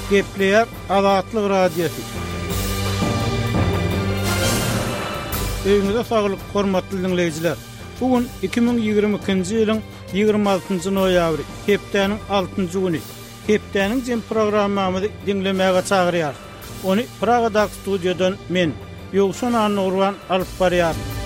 Gepleýär Azatlyk Radiosy. Öýüňize saglyk, hormatly diňleýjiler! Bu gün 2022-nji ýylyň 26-njy noýabry, hepdäniň altynjy güni. Hepdäniň jem programmamyzy diňlemäge çagyrýarys. Ony Pragadaky studiýadan men, Ýowşan Annagurban alyp barýaryn.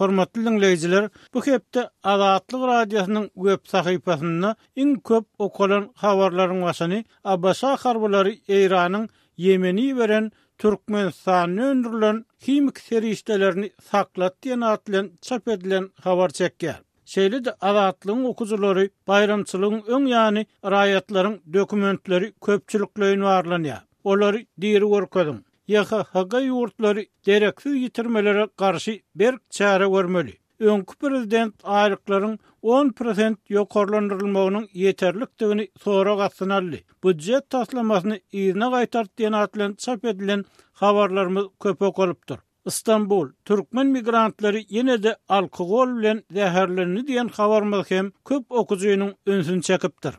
Hormatly diňleýjiler, bu hepde Azatlyk Radiosynyň web sahypasynda iň köp okalan habarlaryň başyny ABŞ harbylary Eýranyň Ýemene iberen Türkmenistanda öndürilen himiki serişdelerini saklat diýen at bilen çap edilen habar çekýär. Şeýle-de Azatlygyň okyjylary baýramçylygyň öň ýany raýatlaryň dokumentleri köpçülikleýin barlanýar. Olary diri görkeziň. YHHG ýurtlary dereksiz ýitirmelere garşy berk çäre görmeli. Öňki prezident aýlyklaryň on prosent ýokarlandyrylmagynyň ýeterlikdigini sorag astyna aldy. Býujet taslamasyny yzyna gaýtart diýen at bilen çap edilen habarlarymyz köp okalypdyr. Stambul, türkmen migrantlary ýene-de alkogol bilen zäherlendi diýen habarymyz hem köp okyjynyň ünsüni çekipdir.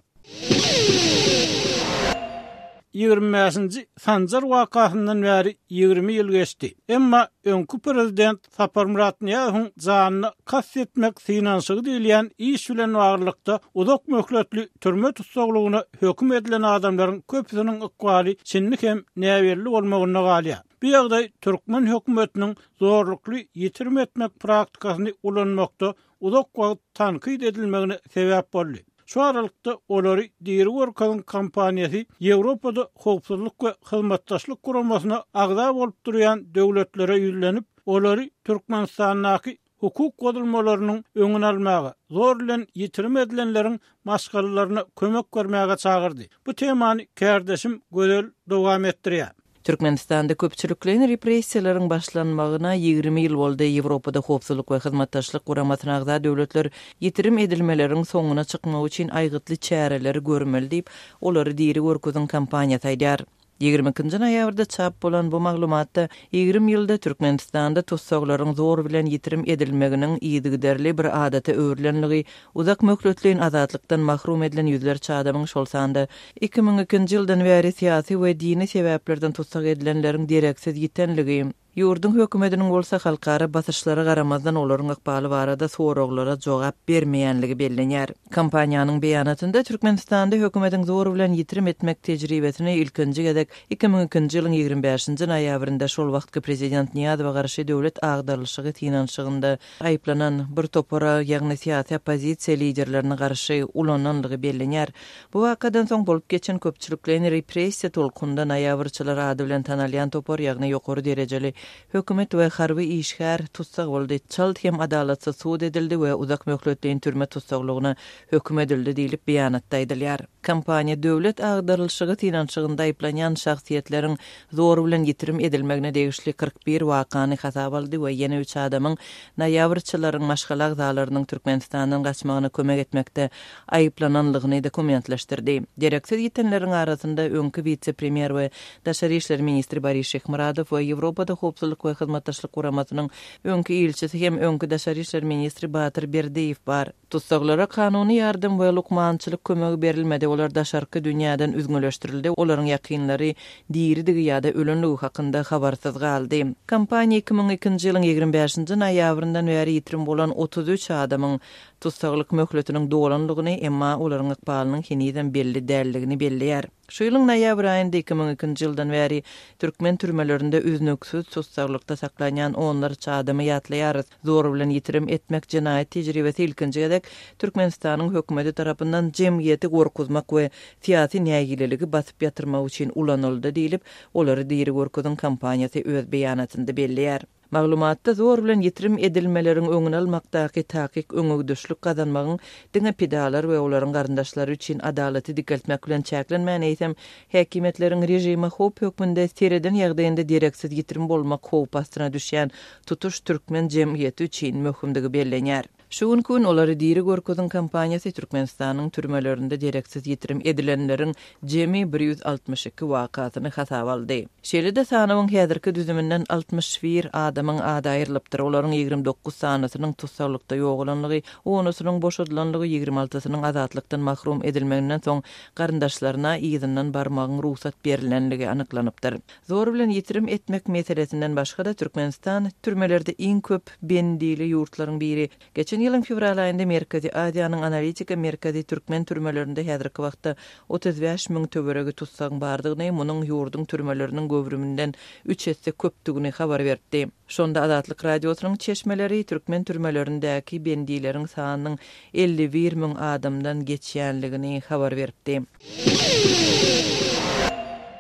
25-nji Sanjar wakasyndan bäri 20 ýyl geçdi. Emma öňki prezident Saparmyrat Nyýazowyň janyna kast etmek synanyşygy diýilýän iş bilen baglylykda uzak möhletli türme tussaglygyna höküm edilen adamlaryň köpüsiniň ykbaly şindi hem näbelli bolmagynda galýar. Bu ýagdaý türkmen hökümetiniň zorlukly ýitirim etmek praktikasyny ulanmakda uzak wagt tankyt edilmegine sebäp boldy. Şu aralykda, Olary diri görkeziň kampaniýasy Ýewropada Howpsuzlyk we Hyzmatdaşlyk Guramasyna agza bolup durýan döwletlere ýüzlenip, olary Türkmenistandaky hukuk bozulmalarynyň öňüni almaga, zor bilen ýitirim edilenleriň maşgalalaryna kömek bermäge çagyrdy. Bu temany kärdeşim Gözel dowam etdirýär. Türkmenistanda köpçülikleýin repressiýalaryň başlanmagyna 20 ýyl boldy. Ýewropada Howpsuzlyk we Hyzmatdaşlyk Guramasyna agza döwletler ýitirim edilmeleriň soňuna çykmak üçin aýgytly çäreleri görmeli diýip, Olary diri görkeziň kampaniýasy aýdýar. 22-nji noýabrda çap bolan bu maglumatda 20 ýylda Türkmenistanda tussaglaryň zor bilen ýitirim edilmeginiň yzygiderli bir adata öwrülenligi, uzak möhletleýin azatlykdan mahrum edilen ýüzlerçe adamyň, şol sanda 2002-nji ýyldan bäri syýasy we dini sebäplerden tussag edilenleriň dereksiz ýitenligi, Ýurduň hökümetiniň bolsa halkara basyşlara garamazdan olaryň ykbaly barada soraglara jogap bermeýänligi bellenýär. Kompaniýanyň beýanatynda Türkmenistanda hökümetiň zor bilen ýitirim etmek tejribesini ilkinji gezek 2002-nji ýylyň 25-nji noýabrynda şol wagtky prezident Nyýazowa garşy döwlet agdarylyşygy synanyşygynda aýyplanan bir topara, ýagny syýasy oppozisiýa liderlerine garşy ulananlygy bellenýär. Bu wakadan soň bolup geçen köpçülikleýin repressiýa tolkunynda noýabrçylar ady bilen tanalýan topar, ýagny ýokary derejeli hökümet we harby işgär tussag boldy, çalt hem adalatsyz sud edildi we uzak möhletleýin türme tussaglygyna höküm edildi diýlip, beýanatda aýdylýar. Kompaniýa döwlet agdarylyşygy synanyşygynda aýyplanýan şahsyýetleriň zor bilen ýitirim edilmegine degişli 41 wakany hasaba aldy we ýene üç adamyň noýabrçylaryň maşgala agzalarynyň Türkmenistandan gaçmagyna kömek etmekde aýyplananlygyny dokumentleşdirdi. Dereksiz ýitenleriň arasynda öňki wise-premýer we daşary işler ministri Boris Şyhmyradow we Ýewropada Howpsuzlyk we Hyzmatdaşlyk Guramasynyň öňki ilçisi hem öňki daşary işler ministri Batyr Berdiýew bar. Tussaglara kanuny ýardam we lukmançylyk kömegi berilmedi, olar daşarky dünýäden üzňeleşdirildi, olaryň ýakynlary diridigi ýa-da ölenligi hakynda habarsyz galdy. Kompaniýa 2002-nji ýylyň 25-nji noýabryndan bäri ýitirim bolan 33 adamyň tussaglyk möhletiniň dolanlygyny, emma olaryň ykbalynyň henizem belli däldigini belleýär. Şu ýylyň noýabr aýynda 2002-nji ýyldan bäri türkmen türmelerinde üznüksiz tussaglykda saklanýan onlarça adamy ýatlaýarys. Zor bilen ýitirim etmek jenaýat tejribesi ilkinji gezek Türkmenistanyň hökümeti tarapyndan jemgyýeti gorkuzmak we syýasy nägileligi basyp ýatyrmak üçin ulanyldy diýlip, Olary diri görkeziň kampaniýasy öz beýanatynda belleýär. Maglumatda zor bilen ýitirim edilmeleriň öňüni almakdaky takyk öňegidişlik gazanmagyň diňe pidalar we olaryň garyndaşlary üçin adalaty dikeltmek bilen çäklenmän, eýsem, häkimiýetleriň režime howp hökmünde sereden ýagdaýynda dereksiz ýitirim bolmak howpy astyna düşýän tutuş türkmen jemgyýeti üçin möhümdigi bellenýär. Şu günki gün Olary diri görkeziň kampaniýasy Türkmenistanyň türmelerinde dereksiz ýitirim edilenleriň jemi 162 wakasyny hasaba aldy. Şeýle-de sanawyň häzirki düzüminden 61 adamyň ady aýrylypdyr, olaryň 29 sanysynyň tussaglykda ýogalanlygy, onusynyň boşadylanlygy, ýigrimi altysynyň azatlykdan mahrum edilmeginden soň garyndaşlaryna yzyndan barmagyň rugsat berilenligi anyklanypdyr. Zor bilen ýitirim etmek meselesinden başga-da, Türkmenistan türmelerde iň köp bendili ýurtlaryň biri. Geçen ýylyň fewral aýynda Merkezi Aziýanyň analitika merkezi türkmen türmelerinde häzirki wagtda 35 müň töweregi tussagyň bardygyny, munuň ýurduň türmeleriniň göwrüminden üç esse köpdügini habar beripdi. Şonda Azatlyk Radiosynyň çeşmeleri türkmen türmelerindäki bendileriň sanynyň 51 müň adamdan geçýänligini habar beripdi.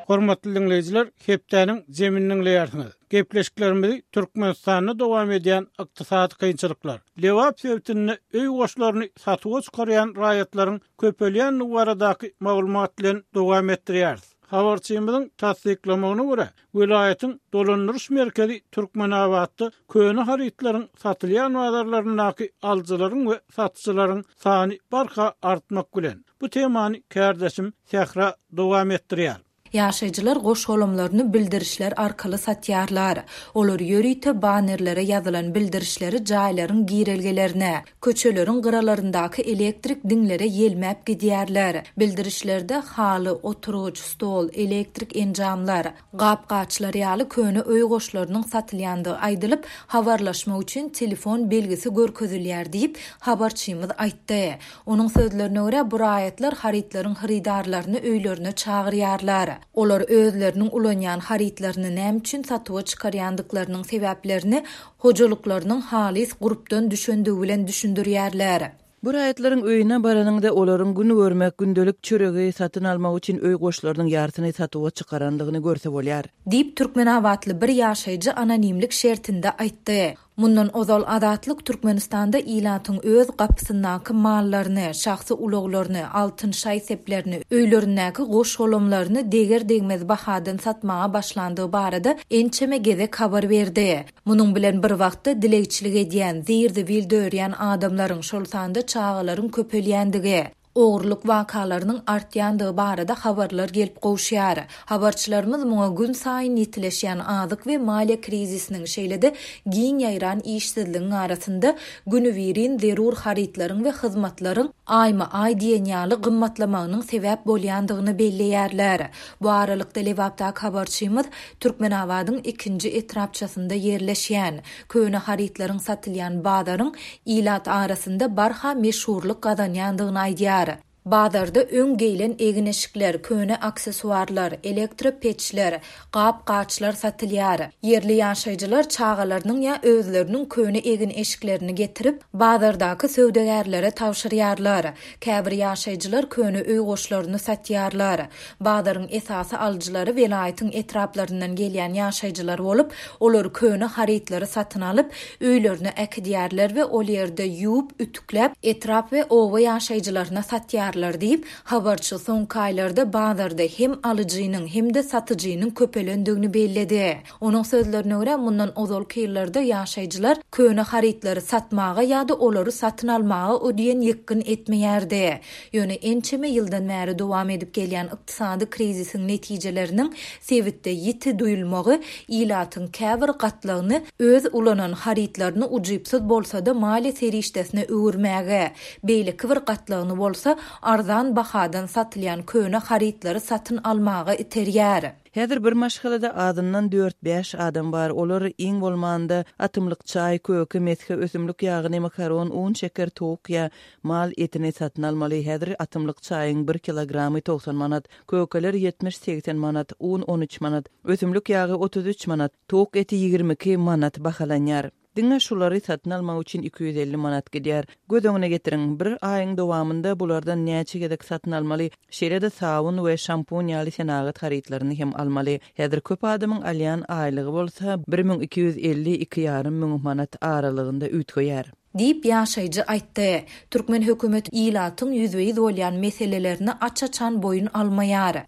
Hormatly diňleýjiler, hepdäniň jemini diňleýärsiňiz. Gepleşiklerimizi Türkmenistanda dowam edýän ykdysady kynçylyklar, Lebap sebitinde öý goşlaryny satuwa çykarýan raýatlaryň köpelýändigi baradaky maglumat bilen dowam etdirýäris. Habarçymyzyň tassyklamagyna görä, Welaýatyň dolandyryş merkezi Türkmenabatda köne harytlaryň satylýan bazarlaryndaky alyjylaryň we satyjylaryň sany barha artmak bilen. Bu temany kärdeşim Sähra dowam etdirýär. Ýaşaýjylar goş-golamlaryny bildirişler arkaly satýarlar. Olar ýörite bannerlere ýazylan bildirişleri jaýlaryň girelgelerine, köçeleriň gyralaryndaky elektrik diňlere ýelmäp gidýärler. Bildirişlerde haly, oturgyç, stol, elektrik enjamlar, gap-gaçlar ýaly köne öý goşlarynyň satylýandygy aýdylyp, habarlaşmak üçin telefon belgisi görkezilýär diýip, habarçymyz aýtdy. Onuň sözlerine görä, bu raýatlar harytlaryň hyrydarlaryny öýlerine çagyrýarlar. Olar özleriniň ulanýan harytlaryny näme üçin satuwa çykarýandyklarynyň sebäplerini hojalyklarynyň halys gurpdan düşendigi bilen düşündirýärler. Bu raýatlaryň öýüne baranyňda olaryň gün görmek, gündelik çöregi satyn almak üçin öý goşlarynyň ýarsyny satuwa çykarandygyny görse bolýar. Diýip, türkmenabatly bir ýaşaýjy anonimlik şertinde aýtdy. Mundan ozal Azatlyk Türkmenistanda ilatyň öz gapysyndaky mallaryny, şahsy ulaglaryny, altyn şaý-seplerini, öýlerindäki goş-golamlaryny deger-degmez bahadan satmaga başlandygy barada ençeme gezek habar berdi. Munuň bilen bir wagtda dilegçilik edýän, zir-zibil dörýän adamlaryň, şol sanda çagalaryň köpelýändigi, ogurlyk wakalarynyň artýandygy barada habarlar gelip gowuşýar. Habarçylarymyz muňa günsaýyn ýitileşýän azyk we maliýe krizisiniň, şeýle-de giň ýaýran işsizligiň arasynda günübirin zerur harytlaryň we hyzmatlaryň aýma-aý diýen ýaly gymmatlamagynyň sebäp bolýandygyny belleýärler. Bu aralykda, Lebapdaky habarçymyz Türkmenabadyň ikinji etrapçasynda ýerleşýän, köne harytlaryň satylýan bazaryň ilat arasynda barha meşhurlyk gazanýandygyny aýdýar. Bazarda öň geýlen egin-eşikler, köne aksessuarlar, elektro peçler, gap-gaçlar satylýar. Ýerli ýaşaýjylar çagalarynyň ýa özleriniň köne egin-eşiklerini getirip, bazardaky söwdagärlere tabşyrýarlar. Käbir ýaşaýjylar köne öý goşlaryny satýarlar. Bazaryň esasy alyjylary welaýatyň etraplaryndan gelýän ýaşaýjylar bolup, olar köne harytlary satyn alyp, öýlerine äkidýärler we ol ýerde ýuwup, ütükläp, etrap we oba ýaşaýjylaryna satýarlar diýip, habarçy soňky aýlarda bazarda hem alyjynyň, hem-de satyjynyň köpelendigini belledi. Onuň sözlerine görä, mundan ozalky ýyllarda ýaşaýjylar köne harytlary satmaga ýa-da olary satyn almaga o diýen ýykgyn etmeýärdi. Ýöne ençeme ýyldan bäri dowam edip gelýän ykdysady krizisiň netijeleriniň sebitde ýiti duýulmagy ilatyň käbir gatlagyny öz ulanan harytlaryny ujypsyz bolsa-da maliýe serişdesine öwürmäge, beýleki bir gatlagyny bolsa arzan bahadan satylýan köne harytlary satyn almaga iterýär. Häzir bir maşgalada azyndan dört-bäş adam bar, olar, iň bolmanda, atymlyk çaý, köke, mesge, ösümlik ýagyny, makaron, un, şeker, towuk ýa mal etini satyn almaly. Häzir atymlyk çaýyň bir kilogramy 90 manat, kökeler ýetmiş-segsen manat, un 13 manat, ösümlik ýagy 33 manat, towuk eti 22 manat bahalanýar. Diňe şulary satyn almak üçin 250 manat gidýär. Göz öňüne getiriň, bir aýyň dowamynda bulardan näçe gezek satyn almaly, şeýle-de sabyn we şampun ýaly senagat harytlaryny hem almaly. Häzir köp adamyň alýan aýlygy bolsa 1250, iki ýarym müň manat aralygynda üýtgeýär. Diýip, ýaşaýjy aýtdy. Türkmen hökümeti ilatyň ýüzbe-ýüz bolýan meselelerini aç-açan boýun almaýar.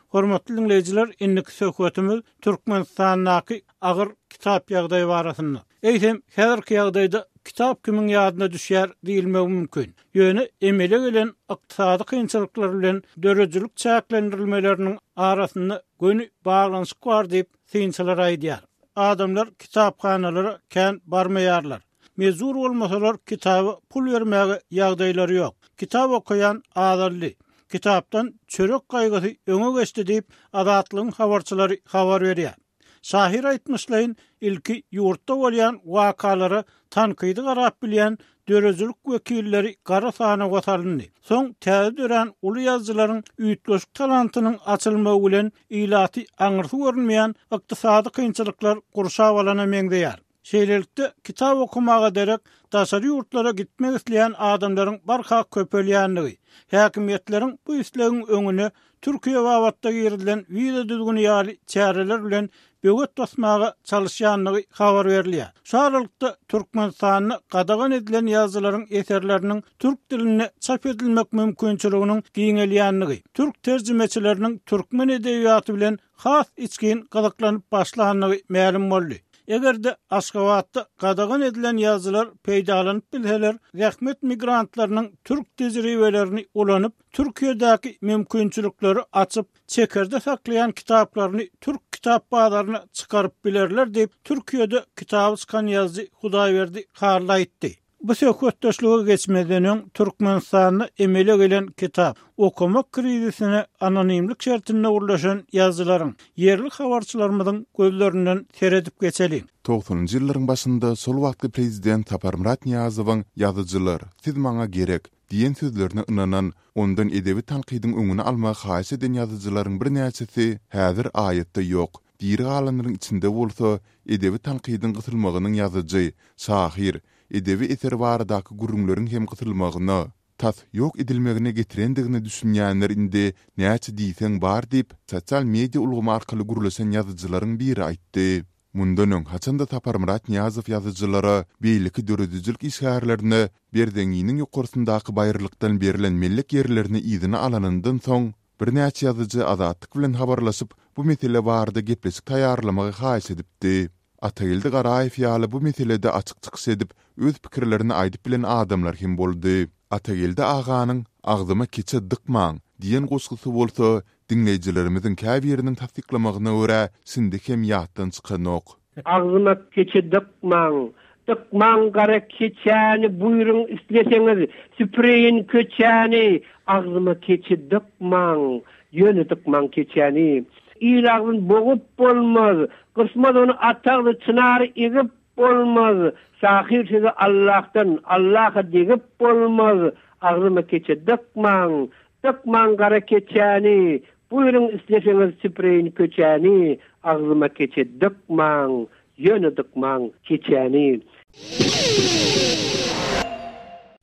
Hormatly diňleýjiler, indiki söhbetimiz Türkmenistandaky agyr kitap ýagdaýy barasynda. Eýsem, häzirki ýagdaýda kitap kimiň ýadyna düşýär diýilmegi mümkin. Ýöne emele gelen ykdysady kynçylyklar bilen döredijilik çäklendirilmeleriniň arasynda göni baglanyşyk bar diýip, synçylar aýdýar. Adamlar kitaphanalara kän barmaýarlar. Mejbur bolmasalar kitaba pul bermäge ýagdaýlary ýok. Kitap okaýan azaldy. Kitapdan çörek gaýgysy öňe geçdi diýip, Azatlygyň habarçylary habar berýär. Şahyr aýtmyşlaýyn, ilki ýurtda bolýan wakalara tankydy garap bilýän döredijilik wekilleri gara sanawa salyndy. Soň täze dörän uly ýazyjylaryň üýtgeşik talantynyň açylmagy bilen ilaty aňyrsy görünmeýän ykdysady kynçylyklar gurşap alana meňzeýär. Şeýlelikde, kitap okamaga derek daşary ýurtlara gitmek isleýän adamlaryň barha köpelýändigi, häkimiýetleriň bu islegiň öňüne Türkiýe babatda girizilen wiza düzgüni ýaly çäreler bilen böwet basmaga çalyşýandygy habar berilýär. Şu aralykda, Türkmenistanda gadagan edilen ýazyjylaryň eserleriniň türk dilinde çap edilmek mümkinçiliginiň giňelýändigi, türk terjimeçileriniň türkmen edebiýaty bilen has içgin gyzyklanyp başlandygy mälim boldy. Eger-de Aşgabatda gadagan edilen ýazyjylar peýdalanyp bilseler, zähmet migrantlarynyň türk tejribelerini ulanyp, Türkiýedäki mümkinçilikleri açyp, çekerde saklaýan kitaplaryny türk kitap bazaryna çykaryp bilerler diýip, Türkiýede kitaby çykan ýazyjy Hudaýberdi Hally aýtdy. Bu söhbetdeşlige geçmezden öň, Türkmenistanda emele gelen kitap okamak krizisine anonimlik şertinde gürleşen ýazyjylaryň, ýerli habarçylarymyzyň gözlerinden seredip geçeliň. Togsanynjy ýyllaryň başynda şol wagtky prezident Saparmyrat Nyýazowyň Ýazyjylar, siz maňa gerek! diýen sözlerine ynanan, ondan edebi tankydyň öňüni almagy haýyş eden ýazyjylaryň birnäçesi häzir aýatda ýok. Diri galanlaryň içinde bolsa, edebi tankydyň gysylmagynyň ýazyjy, şahyr, edebi eser baradaky gürrüňleriň hem gysylmagyna, tas ýok edilmegine getirendigine düşünýänler indi näçe diýseň bar diýip, sosial media ulgamy arkaly gürleşen ýazyjylaryň biri aýtdy. Mundan öň, haçan-da Saparmyrat Nyýazow ýazyjylara, beýleki döredijilik işgärlerine Berzeňňiniň ýokarsyndaky baýyrlykdan berlen mellek ýerlerini yzyna alanyndan soň, birnäçe ýazyjy Azatlyk bilen habarlaşyp, bu mesele barada gepleşik taýýarlamagy haýyş edipdi. Atageldi Garaýew ýaly bu meselede açyk çykyş edip, öz pikirlerini aýdyp bilen adamlar hem boldy. Atageldi aganyň Agzyma keçe dykmaň! diýen goşgusy bolsa, diňleýjilerimiziň käbiriniň tassyklamagyna görä, şindi hem ýatdan çykanok. Agzyma keçe dykmaň! Dykmaň gara keçäni, buýruň isleseňiz, süpüreýin köçäni! Agzyma keçe dykmaň! Ýöne dykmaň keçäni! Il agzyn bogup bolmaz, gysmaz ony at agzy çynary egip bolmaz, şahyr sözi Allahdan, Allaha degip bolmaz, agzyma keçe dykmaň, dykmaň gara keçäni, buýruň isleseňiz süpüreýin köçäni, agzyma keçe dykmaň, ýöne dykmaň keçäni.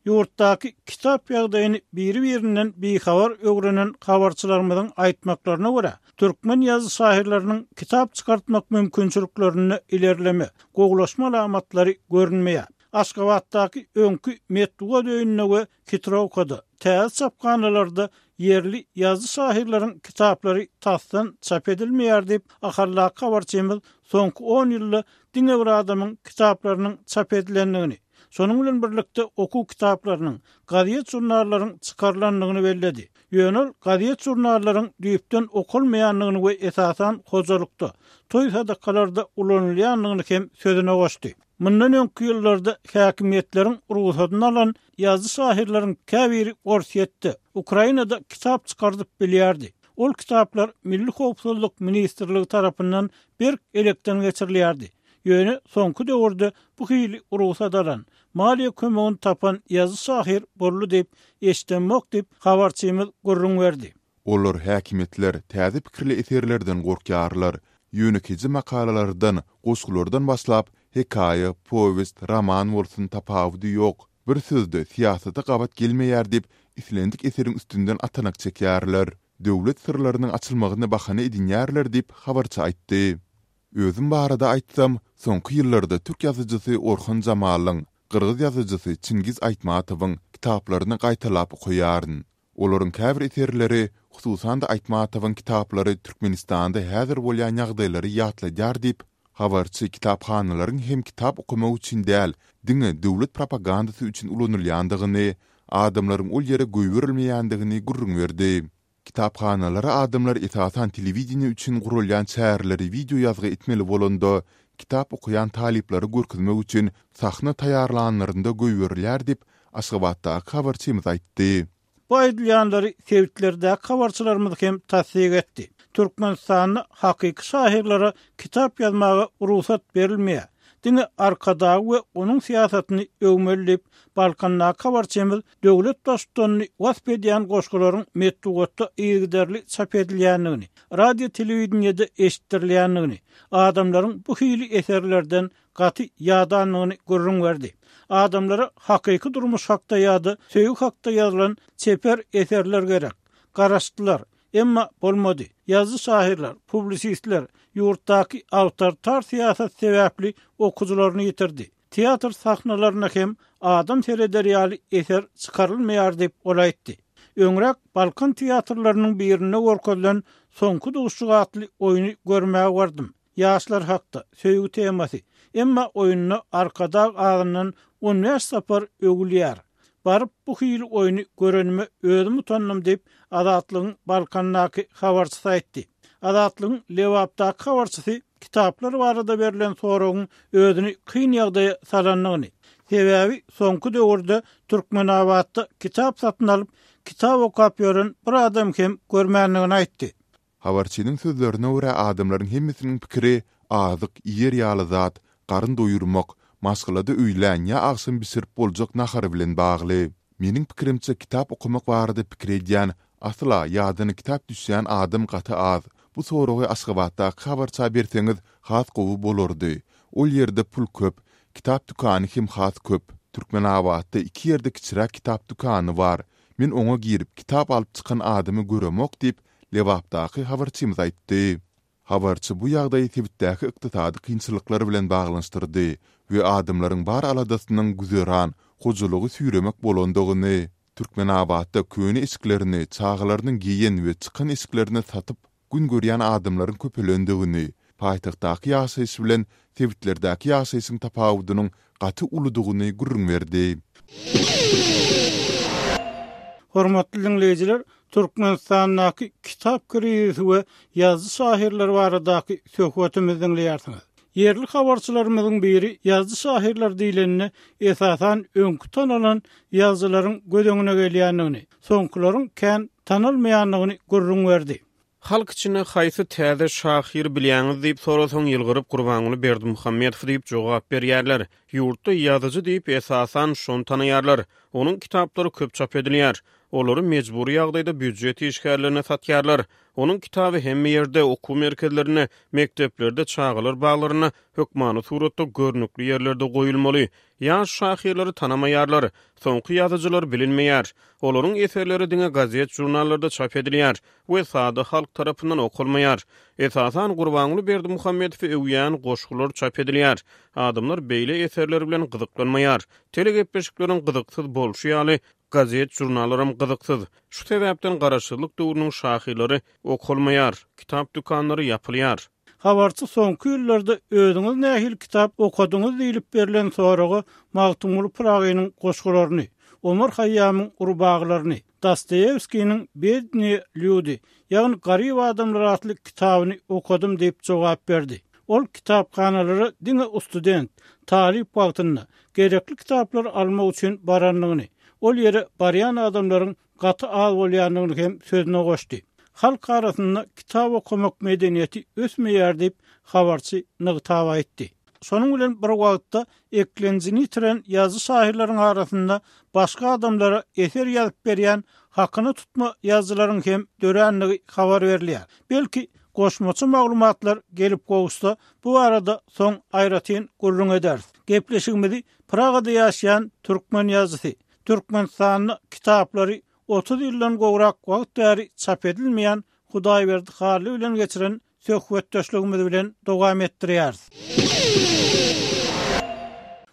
Ýurtdaky kitap ýagdaýyny biri-birinden bihabar öwrenen habarçylarymyzyň aýtmaklaryna görä, türkmen ýazyjy-şahyrlarynyň kitap çykartmak mümkinçiliklerinde ilerleme, gowulaşma alamatlary görünmeýär. Aşgabatdaky öňki Metbugat öýünde we Hitrowkada, täze çaphanalarda ýerli ýazyjy-şahyrlaryň kitaplary tasdan çap edilmeýär diýip, Ahaldaky habarçymyz soňky on ýylda diňe bir adamyň kitaplarynyň çap edilendigini, şonuň bilen birlikde okuw kitaplarynyň, gazet-žurnallaryň çykarylandygyny belledi. Ýöne ol gazet-žurnallaryň düýpden okalmaýandygyny we esasan hojalykda, toý-sadakalarda ulanylýandygyny hem sözüne goşdy. Mundan öňki ýyllarda häkimiýetleriň rugsadyny alan ýazyjy-şahyrlaryň käbiri Orsýetde, Ukrainada kitap çykardyp bilýärdi. Ol kitaplar Milli howpsuzlyk ministrligi tarapyndan berk elekden geçirilýärdi. Ýöne soňky döwürde bu hili rugsat alan, maliýe kömegini tapan ýazyjy-şahyr boldy diýip, eşidemok diýip, habarçymyz gürrüň berdi. Olar, häkimiýetler, täze pikirli eserlerden gorkýarlar. Ýönekeýje makalalardan, goşgulardan başlap, hekaýa, powest, roman bolsun, tapawudy ýok. Bir sözde, syýasata gabat gelmeýär diýip, islendik eseriň üstünden atanak çekýärler. Döwlet syrlarynyň açylmagyny bahana edinýärler diýip, habarçy aýtdy. Özüm barada aýtsam, soňky ýyllarda türk ýazyjysy Orhan Jamalyň, gyrgyz ýazyjysy Çingiz Aýtmatowyň kitaplaryny gaýtalap okaýaryn. Olaryň käbir eserleri, hususan-da Aýtmatowyň kitaplary Türkmenistanda häzir bolýan ýagdaýlary ýatladýar diýip, Habarçy kitaphanalaryň hem kitap okamak üçin däl, diňe döwlet propagandasy üçin ulanylýandygyny, adamlaryň ol ýere goýberilmeýändigini gürrüň berdi. Kitaphanalara adamlar esasan telewideniýe üçin guralýan çäreleri wideo ýazgy etmeli bolanda, kitap okaýan talyplary görkezmek üçin sahna taýýarlanlarynda goýberilýär diýip, Aşgabatdaky habarçymyz aýtdy. Bu aýdylýanlary sebitlerdäki habarçylarymyz hem tassyk etdi. Türkmenistanda hakyky şahyrlara kitap ýazmaga rugsat berilmeýär. Diňe Arkadagy we onuň syýasatyny öwmeli diýip, Balkandaky habarçymyz döwlet Baştutanyny wasp edýän goşgularyň metbugatda yzygiderli çap edilýändigini, radio-telewideniýede eşitdirilýändigini, adamlaryň bu hili eserlerden gaty ýadandygyny gürrüň berdi. Adamlara hakyky durmuş hakda ýa-da söýgi hakda ýazylan çeper eserler gerek. Garaşdylar. Emma bolmady. Ýazyjy-şahyrlar, publisistler ýurtdaky awtoritar syýasat sebäpli okyjylaryny ýitirdi. Teatr sahnalarynda hem adam sereder ýaly eser çykarylmaýar diýip, ol aýtdy. Öňräk Balkan teatrlarynyň birinde görkezilen Soňky duşuşyk atly oýny görmäge bardym. Ýaşlar hakda, söýgi temasy. Emma oýunda Arkadag azyndan on bäş sapar öwülýär. Baryp bu hili oýny görenime özüm utandym diýip, Azatlygyň Balkandaky habarçysy aýtdy. Azatlygyň Lebapdaky habarçysy kitaplar barada berlen soragyň özüni kyn ýagdaýa salandygyny, sebäbi soňky döwürde Türkmenabatda kitap satyn alyp, kitap okap ýören bir adam hem görmändigini aýtdy. Habarçynyň sözlerine görä, adamlaryň hemmesiniň pikiri azyk, iýer ýaly zat, garyn doýurmak, maşgalada öýlän ýa agşam bişirip boljak nahar bilen bagly. Meniň pikirimçe, kitap okamak barada pikir edýän, asla ýadyna kitap düşýän adam gaty az. Bu soragy Aşgabatdaky habarça berseňiz has gowy bolardy. Ol ýerde pul köp, kitap dükany hem has köp. Türkmenabatda iki ýerde kiçiräk kitap dükany bar. Men oňa girip, kitap alyp çykan adamy göremok diýip, Lebapdaky habarçymyz aýtdy. Habarçy bu ýagdaýy sebitdäki ykdysady kynçylyklar bilen baglanyşdyrdy we adamlaryň bar aladasynyň güzeran, hojalygy süýremek bolandygyny, Türkmenabatda köne eşiklerini, çagalarynyň geýen we çykan eşiklerini satyp gün görýän adamlaryň köpelendigini, paýtagtdaky ýaşaýyş bilen sebitlerdäki ýaşaýşyň tapawudynyň gaty uludygyny gürrüň berdi. Hormatly diňleýjiler, Türkmenistandaky kitap krizisi we ýazyjy-şahyrlar baradaky söhbetimizi diňleýärsiňiz. Ýerli habarçylarymyzyň biri ýazyjy-şahyrlar diýlende, esasan, öňki tanalan ýazyjylaryň göz öňüne gelýändigini, soňkularyň kän tanalmaýandygyny gürrüň berdi. Halk içinde haýsy täze şahyry bilýäňiz diýip sorasaň, ýylgyryp Gurbanguly Berdimuhamedow diýip jogap berýärler. Ýurtda ýazyjy diýip, esasan, şony tanaýarlar. Onuň kitaplary köp çap edilýär. Olary mejbury ýagdaýda býujet işgärlerine satýarlar. Onuň kitaby hemme ýerde, okuw merkezlerinde, mekdeplerde, çagalar baglarynda hökmany suratda görnükli ýerlerde goýulmaly. Ýaş şahyrlary tanamaýarlar. Soňky ýazyjylar bilinmeýär. Olaryň eserleri diňe gazet-žurnallarda çap edilýär we sada halk tarapyndan okalmaýar. Esasan Gurbanguly Berdimuhamedowy öwýän goşgular çap edilýär. Adamlar beýle eserler bilen gyzyklanmaýar. Telegepleşikleriň gyzyksyz bolşy ýaly, gazet-žurnallaram gyzyksyz. Şu sebäpden garaşsyzlyk döwrüniň şahyrlary okalmaýar, kitap dükanlary ýapylýar. Habarçy soňky ýyllarda özüňiz nähili kitap okadyňyz diýlip berlen soraga Magtymguly Pyragynyň goşgularyny, Omar Haýýamyň rubagylaryny, Dostoýewskiniň Bednyýe lýudi, ýagny Garyp adamlar atly kitabyny okadym diýip jogap berdi. Ol kitaphanalara diňe ustudent, talyp wagtynda, gerekli kitaplary almak üçin barandygyny, ol ýere barýan adamlaryň gaty az bolýandygyny hem sözüne goşdy. Halk arasynda kitap okamak medeniýeti ösmeýär diýip, habarçy nygtap aýtdy. Şonuň bilen bir wagtda, eklenjini ýitiren ýazyjy-şahyrlaryň arasynda başga adamlara eser ýazyp berýän hakyna tutma ýazyjylaryň hem dörändigi habar berilýär. Belki, goşmaça maglumatlar gelip gowuşsa, bu barada soň aýratyn gürrüň ederis. Gepleşigimizi Pragada ýaşaýan türkmen ýazyjysy, Türkmenistanda kitaplary 30 ýyldan gowrak wagt bäri çap edilmeýän Hudaýberdi Hally bilen geçiren söhbetdeşligimiz bilen dowam etdirýäris.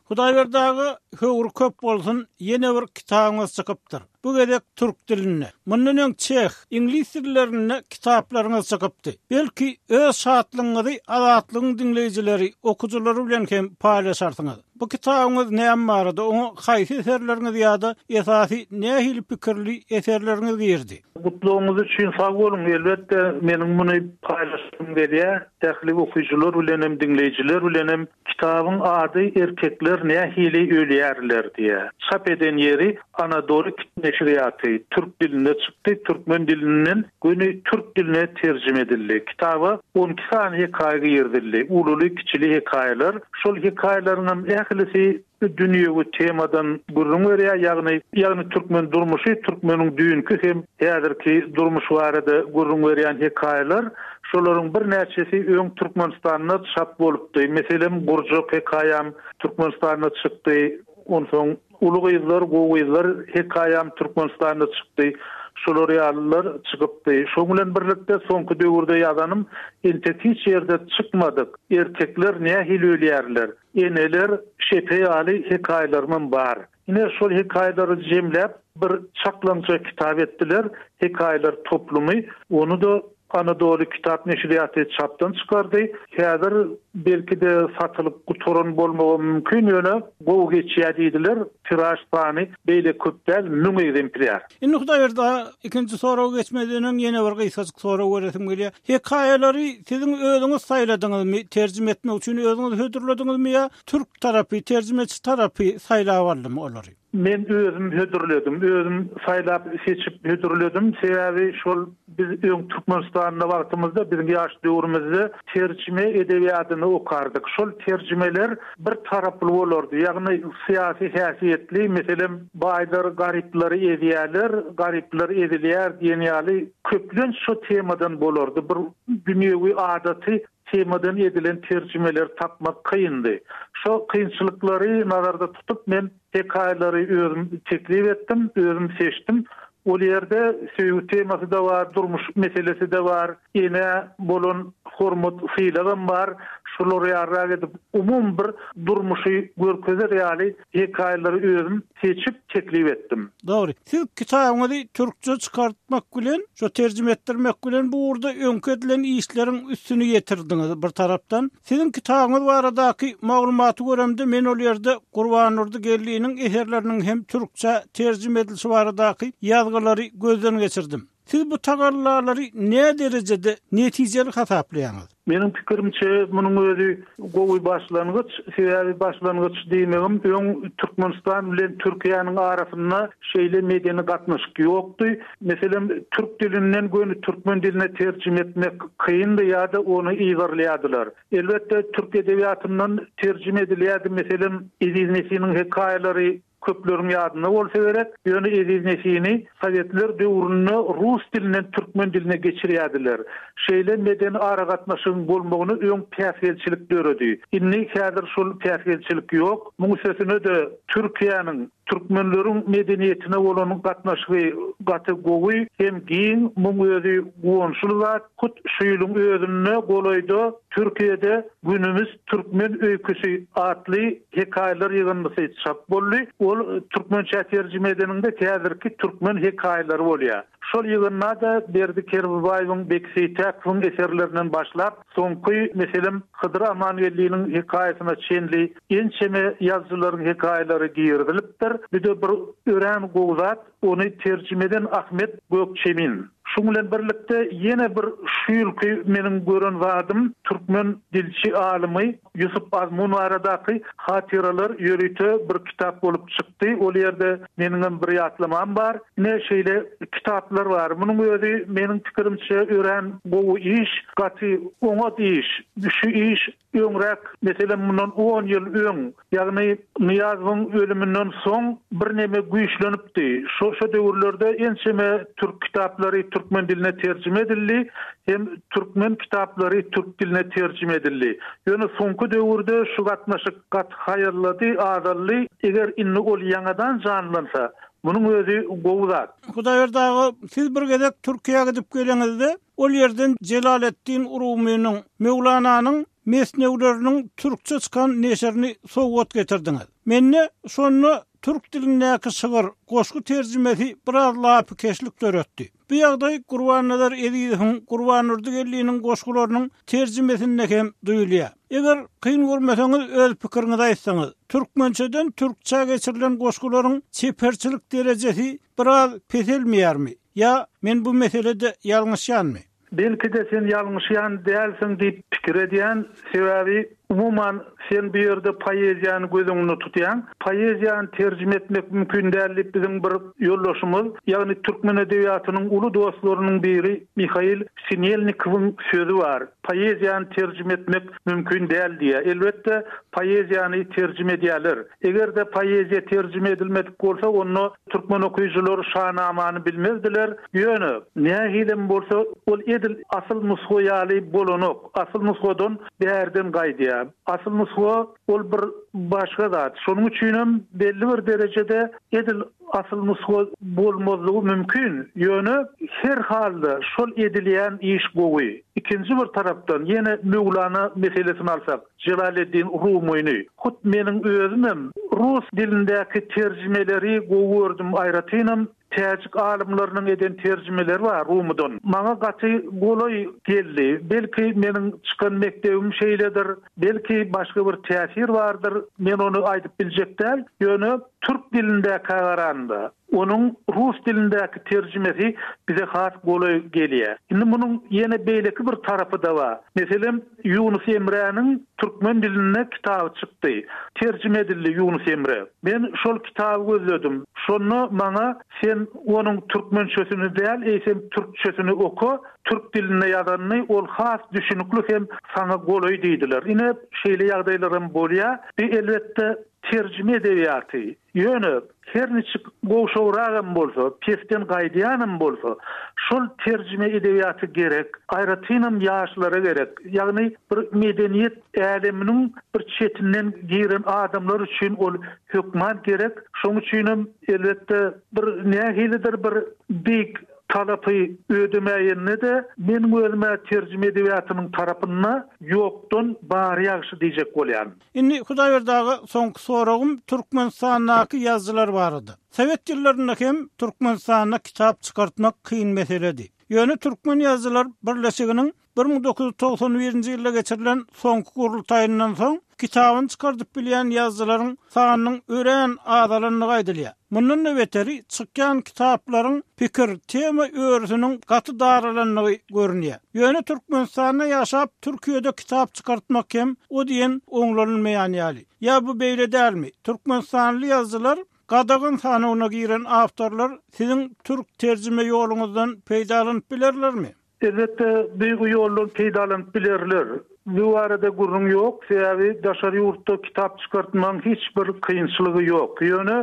Hudaýberdi aga, höwri köp bolsun, ýene bir kitabyňyz çykypdyr. Bu gezek türk dilinde. Mundan öň çeh, iňlis dillerinde kitaplaryňyz çykypdy. Belki, öz şatlygyňyzy Azatlygyň diňleýjileri, okyjylary bilen hem paýlaşarsyňyz. Bu kitabyňyz näme barada, oňa haýsy eserleriňiz ýa-da esasy nähili pikirli eserleriňiz girdi? Gutlagyňyz üçin sag boluň. Elbetde, meniň muny paýlaşasym gelýär. Ähli okyjylar bilen hem, diňleýjiler bilen hem. Kitabyň ady Erkekler nähili ölýärler diýýär. Çap eden ýeri Anadoly neşirýaty. Türk dilinde çykdy, türkmen dilinden göni türk diline terjime edildi. Kitaba 12 sany hekaýa girizildi. Ululy-kiçili hekaýalar. Şol hekaýalaryňam ählisi dünýewi temadan gürrüň berýär, ýagny ýagny türkmen durmuşy, türkmeniň düýnki hem häzirki durmuşy barada gürrüň berýän hekaýalar. Şolaryň birnäçesi öň Türkmenistanda çap bolupdy. Meselem, Gurjak hekaýam Türkmenistanda çykdy. Onsoň Uly gyzlar, gowy gyzlar hekaýam Türkmenistanda çykdy. Şolar ýalylar çykypdy. Şoň bilen birlikde soňky döwürde ýazanym entek hiç ýerde çykmadyk Erkekler nähili ölýärler? Eneler şepe ýaly hekaýalarymam bar. Ine, şol hekaýalary jemläp, bir çaklaňja kitap etdiler, Hekaýalar toplumy. Ony-da Anadoly kitap neşirýaty çapdan çykardy. Häzir, belki-de, satylyp gutaran bolmagam mümkin, ýöne gowy geçýär diýdiler. Tiraž sany beýle köp däl, 1000 ekzemplýar. Indi Hudaýberdi aga, ikinji soraga geçmezden öň ýene bir gysgajyk sorag beresim gelýär. Hekaýalary siziň özüňiz saýladyňyzmy, terjime etmek üçin özüňiz hödürlediňizmi ýa türk tarapy, terjimeçi tarapy saýlap aldymy olary? Men özüm hödürledim. Özüm saýlap-seçip hödürledim. Sebäbi şol biz öň Türkmenistanda wagtymyzda, biziň ýaş döwrümizde terjime edebiýadyny okardyk. Şol terjimeler bir taraply bolardy. Ýagny syýasy häsiýetli, meselem, baýlar garyplary ezýärler, garyplar ezilýär diýen ýaly köplenç şo temadan bolardy. Bir dünýewi adaty temadan edilen terjimeleri tapmak kyndy. Şo kynçylyklary nazarda tutup men hekaýalary özüm teklip etdim, özüm seçdim. Ol ýerde söýgi temasy-da bar, durmuş meselesi-de bar, enä bolan hormat, sylagam bar. Şular ýalyrak edip umumy bir durmuşy görkezer ýaly hekaýalary özüm seçip teklip etdim. Dogry. Siz kitabyňyzy türkçe çykartmak bilen, şo terjime etdirmek bilen bu ugurda öňki edilen işleriň üstüni ýetirdiňiz bir tarapdan. Siziň kitabyňyz baradaky maglumaty göremde men ol ýerde Gurbandurdy Geldiniň eserleriniň hem türkçä terjime edilişi baradaky ýazgylary gözden geçirdim. Siz bu tagallalary näderejede netijeli hasaplaýaňyz? Meniň pikirimçe, munuň özi gowy başlangyç. Sebäbi başlangyç diýmegim, öň Türkmenistan bilen Türkiýäniň arasynda şeýle medeni gatnaşyk ýokdy. Meselem, türk dilinden göni türkmen diline terjime etmek kyndy ýa-da ony yzarlaýardylar. Elbetde, türk edebiýatyndan terjime edilýärdi. Meselem, Eziz Nesiniň hekaýalary Köpleriň ýadynda bolsa gerek, ýöne Eziz Nesini sowetler döwründe rus dilinden türkmen diline geçirýärdiler. Şeýle medeni aragatnaşygyň bolmagyna öň päsgelçilik döredi. Indi häzir şol päsgelçilik ýok. Muň üstesine-de Türkiýäniň türkmenleriň medeniýetine bolan gatnaşygy gaty gowy hem giň. Muň özi guwançly zat. Hut şu ýylyň özünde golaýda Türkiýede Günümiz türkmen öýküsi atly hekaýalar ýygyndysy çap boldy. Ol türkmençä terjime edeniňde häzirki türkmen hekaýalary bolýar. Şol ýygynda-da Berdi Kerbabaýewiň, Beki Seýtäkowyň eserlerinden başlap, soňky, meselem, Hydyr Amangeldiniň hekaýasyna çenli ençeme ýazyjylaryň hekaýalary girizilipdir. Bu-da bir örän gowy zat. Ony terjime eden Ahmet Gökçemin. Şuň bilen birlikde ýene bir şu ýylky meniň gören zadym türkmen dilçi alymy Ýusup Azmun baradaky hatyralar ýörite bir kitap bolup çykdy. Ol ýerde meniňem bir ýatlamam bar. Ine şeýle kitaplar bar. Munuň özi meniň pikirimçe örän gowy iş, gaty oňat iş. Şu iş Öňräk, meselem, mundan on ýyl öň, ýagny Nyýazowyň ölüminden soň birneme güýçlenipdi. Şo şo döwürlerde ençeme türk kitaplary türkmen diline terjime edildi hem türkmen kitaplary türk diline terjime edildi. Ýöne soňky döwürde şu gatnaşyk gaty haýallady, azaldy. Eger indi ol ýaňadan janlansa, munuň özi gowy zat. Hudaýberdi aga, siz bir gezek Türkiýä gidip geleňizde, Ol ýerden Jelaleddin Rumynyň, Möwlananyň. Mesnewileriniň türkçe çykan neşirini sowgat getirdiňiz. Mende şonda türk dilindäki şygyr, goşgy terjimesi biraz lapykeçlik döretdi. Bu ýagdaý Gurbannazar Ezizowyň, Gurbandurdy Geldiniň goşgularynyň terjimesinde hem duýulýar. Eger kyn görmeseňiz öz pikiriňizi aýtsaňyz. Türkmençeden türkçä geçirilen goşgularyň çeperçilik derejesi biraz peselmeýärmi? Ýa men bu meselede ýalňyşýanmy? Belki-de sen ýalňyşýan dälsiň diýip pikir edýän, sebäbi umuman sen bu ýerde poeziýany göz öňünde tutýaň. Poeziýany terjime etmek mümkin däl diýip biziň bir ýoldaşymyz, ýagny türkmen edebiýatynyň uly dostlarynyň biri Mihail Sinelnikowyň sözi bar, Poeziýany terjime etmek mümkin däl diýýär. Elbetde, poeziýany terjime edýärler. Eger-de poeziýa terjime edilmedik bolsa, onda türkmen okyjylary Şanamany bilmezdiler. Ýöne, nähilem bolsa, ol edil asyl nusga ýaly bolanok. Asyl nusgadan bärden gaýdýar. Asyl nusga ol bir başga zat. Şonuň üçinem belli bir derejede edil asyl nusga bolmazlygy mümkin. Ýöne, her halda şol edilýän iş gowy. Ikinji bir tarapdan, ýene Möwlana meselesini alsak. Jelaleddin Rumyny. Hut meniň özümem rus dilindäki terjimeleri gowy gördüm, aýratynam täjik alymlarynyň eden terjimeleri bar Rumydan. Maňa gaty golaý geldi. Belki meniň çykan mekdebim şeýledir, belki başga bir täsir bardyr, men ony aýdyp biljek däl. Ýöne türk dilindäkä garanda, Onuň rus dilindäki terjimesi bize has golaý gelýär. Indi munuň ýene beýleki bir tarapy-da bar. Meselem, Ýunus Emräniň türkmen dilinde kitaby çykdy. Terjime edildi Ýunus Emre. Men şol kitaby gözledim. Şonda maňa sen onuň türkmençesini däl, eýsem türkçesini oka, türk dilinde ýazanyny, ol has düşünikli hem saňa golaý diýdiler. Ine, şeýle ýagdaýlaram bolýar. Bi elbetde terjime edebiýaty. Ýöne, her niçik gowşagragam bolsa, pesden gaýdýanam bolsa, şol terjime edebiýaty gerek, aýratynam ýaşlara gerek. Ýagny bir medeniýet äleminiň bir çetinden giren adamlar üçin ol hökman gerek. Şoň üçinem, elbetde, bir nähilidir bir beýik talapy ödemäýende-de, meniň özüm-ä terjime edebiýatynyň tarapynda ýokdan bary ýagşy diýjek bolýan. Indi Hudaýberdi aga soňky soragym Türkmenistandaky ýazyjylar barada. Sowet ýyllarynda hem Türkmenistanda kitap çykartmak kyn meseledi. Ýöne Türkmen ýazyjylar birleşiginiň 1991-nji ýylda geçirilen soňky gurultaýyndan soň kitabyny çykardyp bilýän ýazyjylaryň sanynyň örän azalandygy aýdylýar. Mundan-da beteri, çykýan kitaplaryň pikir, tema örüsiniň gaty daralandygy görünýär. Ýöne Türkmenistanda ýaşap, Türkiýede kitap çykartmak hem o diýen oňlanylmaýan ýaly. Ýa bu beýle dälmi? Türkmenistanly ýazyjylar gadagan sanawyna giren awtorlar siziň türk terjime ýoluňyzdan peýdalanyp bilerlermi? Elbetde, bu ýoldan peýdalanyp bilerler. Bu barada gürrüň ýok, sebäbi daşary ýurtda kitap çykartmagyň hiç bir kynçylygy ýok. Ýöne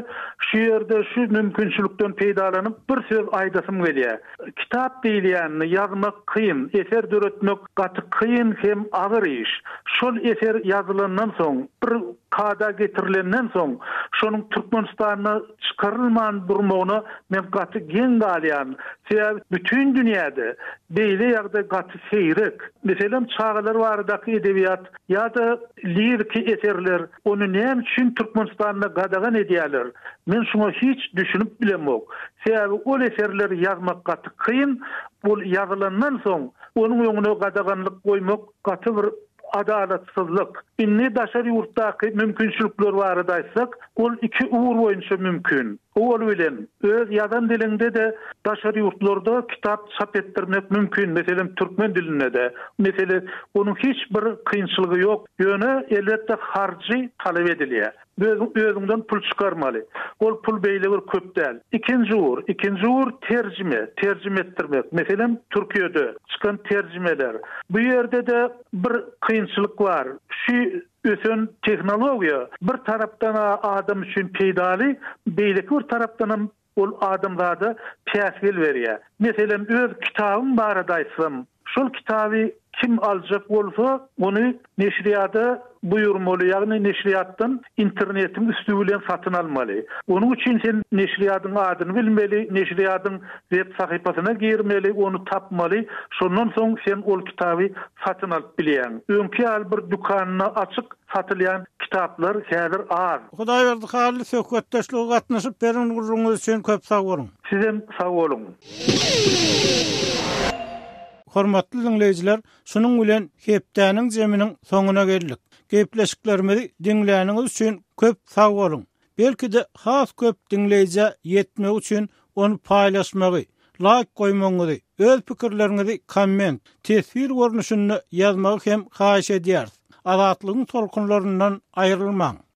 şu ýerde şu mümkinçilikden peýdalanyp bir söz aýdasym gelýär. Kitap diýilýänini ýazmak kyn, eser döretmek gaty kyn hem agyr iş. Şol eser ýazylandan soň, bir kada getirilenden soň, şonuň Türkmenistanda çykarylman durmagyna men gaty geň galýan. Sebäbi bütin dünýäde beýle ýagdaý gaty seýrek. Meselem, çagalar baradaky edebiýat ýa-da liriki eserler, ony näme üçin Türkmenistanda gadagan edýärler? Men şuňa hiç düşünip bilemok. Sebäbi ol eserleri ýazmak gaty kyn, ol ýazylandan soň onuň öňüne gadaganlyk goýmak gaty bir Adalatsyzlyk. Indi daşary ýurtdaky mümkinçilikler barada aýtsak, ol iki ugur boýunça mümkin. Owal bilen, öz ýazan diliňde-de daşary ýurtlarda kitap çap etdirmek mümkin, meselem, türkmen dilinde-de. Mesele, onuň hiç bir kynçylygy ýok, ýöne, elbetde, harjy talap edilýär. Özüň özüňden pul çykarmaly. Ol pul beýle bir köp däl. Ikinji ugur, ikinji ugur terjime, terjime etdirmek. Meselem, Türkiýede çykan terjimeler. Bu ýerde-de bir kynçylyk bar. Şu ösen tehnologiýa bir tarapdan-a adam üçin peýdaly, beýleki bir tarapdanam Ol adamzada päsgel berýär. Meselem, öz kitabym barada aýtsam, şol kitaby Kim aljak bolsa, ony neşirýada buýurmaly, ýagny neşirýatdan internetiň üsti bilen satyn almaly. Onuň üçin sen neşirýadyň adyny bilmeli, neşirýadyň web sahypasyna girmeli, ony tapmaly, şondan soň sen ol kitaby satyn alyp bilýäň. Öňki ýaly bir dükanda açyk satylýan kitaplar häzir az. Hudaýberdi Hally söhbetdeşlige gatnaşyp beren gürrüňiňiz üçin köp sag boluň. Sizem sag boluň. Hormatly diňleýjiler, şunuň bilen hepdäniň jeminiň soňuna geldik. Gepleşiklerimizi diňläniňiz üçin köp sag boluň. Belki-de has köp diňleýjä ýetmegi üçin ony paýlaşmagy, laýk goýmagyňyzy, öz pikirleriňizi komment, teswir görnüşinde ýazmagy hem haýyş edýäris. Azatlygyň tolkunlaryndan aýrylmaň!